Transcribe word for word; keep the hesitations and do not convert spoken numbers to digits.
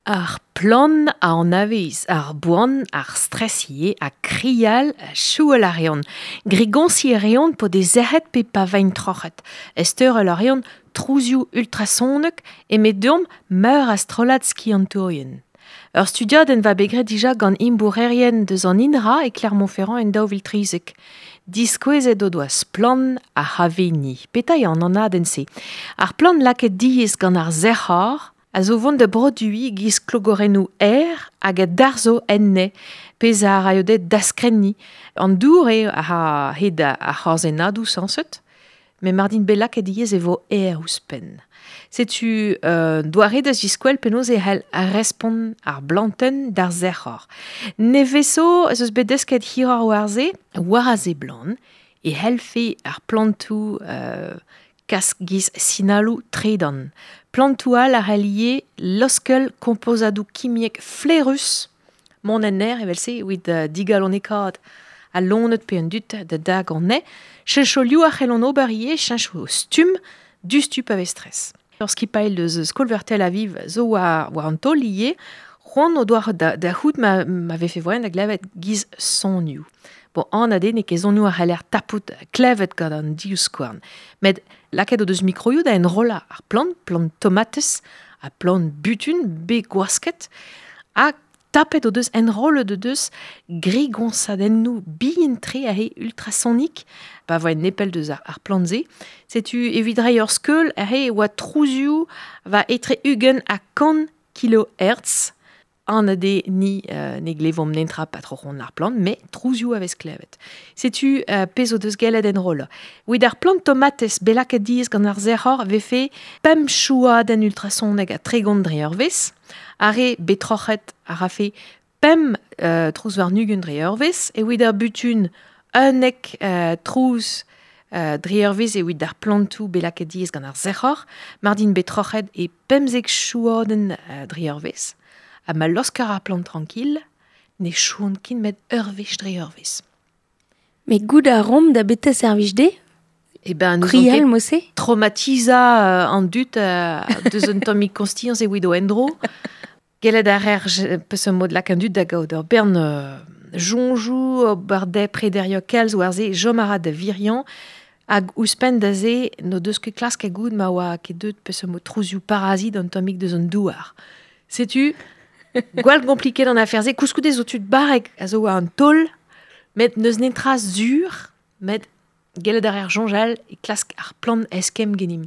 Ar plan a anavez, ar boan, ar stress ivez, ha krial, chouel a reont. Grigonsi a reont po de zerret pe pa vain troc'het. Esteurel a reont trouzioù ultrasonek e met deomp meur a strollad skiantourien. Ur studiadenn va bet graet dija gant imbourerien deus an INRA e Clermont-Ferrand en daou vil trizek. Diskouezet o doa splann ar c'haveni. Petra eo an anadenn-se? Ar plant lakaet diaes gant ar sec'hor a zo vont da broduiñ giz klogorennoù aer hag a darzho enne, pezh a raio dezhe daskrenniñ. An dour eo a hed ar c'horzennadoù sañset, met mar dint bet lakaet diaes e vo aer ouzhpenn. Setu euh, doare da ziskwel penaos e c'hell respont ar blantenn d'ar sec'hor. Nevezo ez eus bet desket hiroc'h war se, war a seblant, e c'hellfe ar plantoù euh, kas giz sinaloù tredan. Plantoù all a c'hell ivez laoskel kompozadoù kimiek flaerus mont en aer evel-se evit uh, digalonekaat al loened pe an dud da dag an nez. Cheñcholioù a c'hellont ober ivez, cheñch o stumm diouzhtu pa vez stress. Ur skipailh deus Skol-Veur Tel Aviv zo war, war an taol ivez, c'hoant o doa da, da c'hoût ma, ma vefe voaien da glevet giz sonioù. Bon, anat eo n'eo ket sonioù a c'haller tapout klevet gant an divskouarn. Met lakaet o deus mikroioù da enrollañ ar plant, plant tomatez ha plant butun bet gwasket, ha tapet o deus enrollet o deus grigoñsadennoù bihan-tre aze ultrasonik, pa voa nepell deus ar, ar plant-se. Setu evit reiñ ur skeul aze e oa trouzioù va etre ugent ha kant kilohertz. Anat eo ni euh, ne glevomp netra pa troc'hont ar plant, met trouzioù a vez klevet. Setu euh, pezh o deus gellet enrollañ. Evit ar plant tomatez bet lakaet diaes gant ar sec'hor vefe pemp chouadenn ultrasonek ha tregont dre eurvezh. Ar re bet troc'het a rafe pemp euh, trouz warn-ugent dre eurvezh. Evit ar butun unnek euh, trouz euh, dre eurvezh evit ar plantoù bet lakaet diaes gant ar sec'hor. Mar dint bet troc'het e pemzek chouadenn euh, dre eurvezh. Ha ma laosker ar plant tranquille, ne chouont ket met ur wech dre eurvezh. Met goût a romp da beta servij de? Eh ben, nous Krial, mose? Traumatiza euh, an dud euh, deus un tammig kostiañs evit o endro. Gellet a reer peus un mod lak an dud da gaout ur bern euh, soñjoù, ober dezhe prederioù kalz war se chom a ra da viriañ, hag ouzhpenn da se n'o deus ket klask goût ma oa ket deut peus un mod trouzioù parazit an tammig deus an douar. Setu, gwall kompliket an afer-se, koulskoude zo tud barrek a zo war an taol, met n'eus netra sur, met gellet a reer soñjal e klask ar plant eskemm genim.